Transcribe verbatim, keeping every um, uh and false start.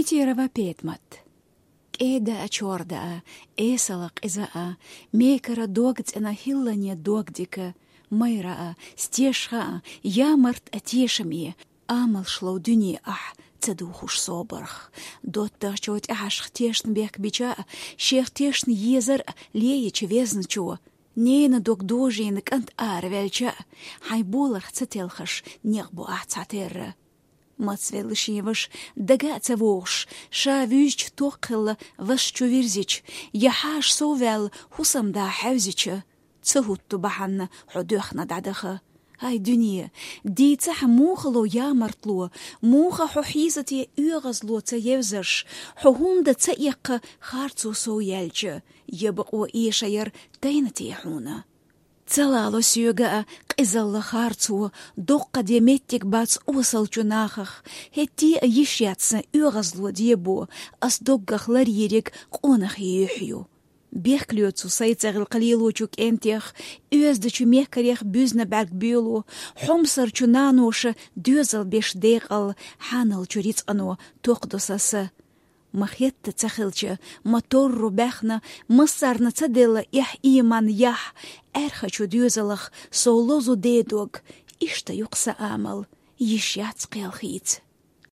Итерова Петмат. КӀеда а, чорда а, эсала къиза а, мекара дог цӀена, хӀиллане дог дика, майра а, стешха а, ямарт а, тешаме, амалшло дуьне ахь ца духуш собарх. ДоттагӀчо тӀехьашха тешна бехк бича а, шех тешна езар а лееча везначо, нена дог дожийна кӀант араваьлча а, хьайн боларх ца телхаш, некъ бу ахь цхьатерра. Мацвелла шен ваша дага а ца вогӀуш, ша вуьзча токхелла вас чу вирзича, я хьаша сов ваьлла хӀусамда хьаьвзича, ца хӀутту бахьанна хьо доьхна дӀадаха. Ай, дуьне, дийцахьа муха ло ямартло, муха хьо хьийзате оьгӀазло ца евзаш, хьо хӀунда ца эккха харцо сов яьлча, я бакъо эша яр тайна те хьуна. Ца лало соьга а къизалла харцо, доккха де меттиг бац осалчу нахах, хӀетте а йиш яц сан оьгӀазло дебо, ас доггах ларйийриг къонахий юьхь ю. Бехк лоьцу сайца гӀилкха лелочу кӀентех, оьздачу мехкарех буьзна бӀаьрг боьлу, хьомсарчу наноша доьзал беш декъал, хьаналчу рицкъано токхадо сан са. Ма хетта ца хилча, ма торру баьхна, массарна ца делла эхь, ийман, яхь, аьрхачу доьзалах сов лозу дедог, иштта ю-кх сан амал, йиш яц кхел хийца.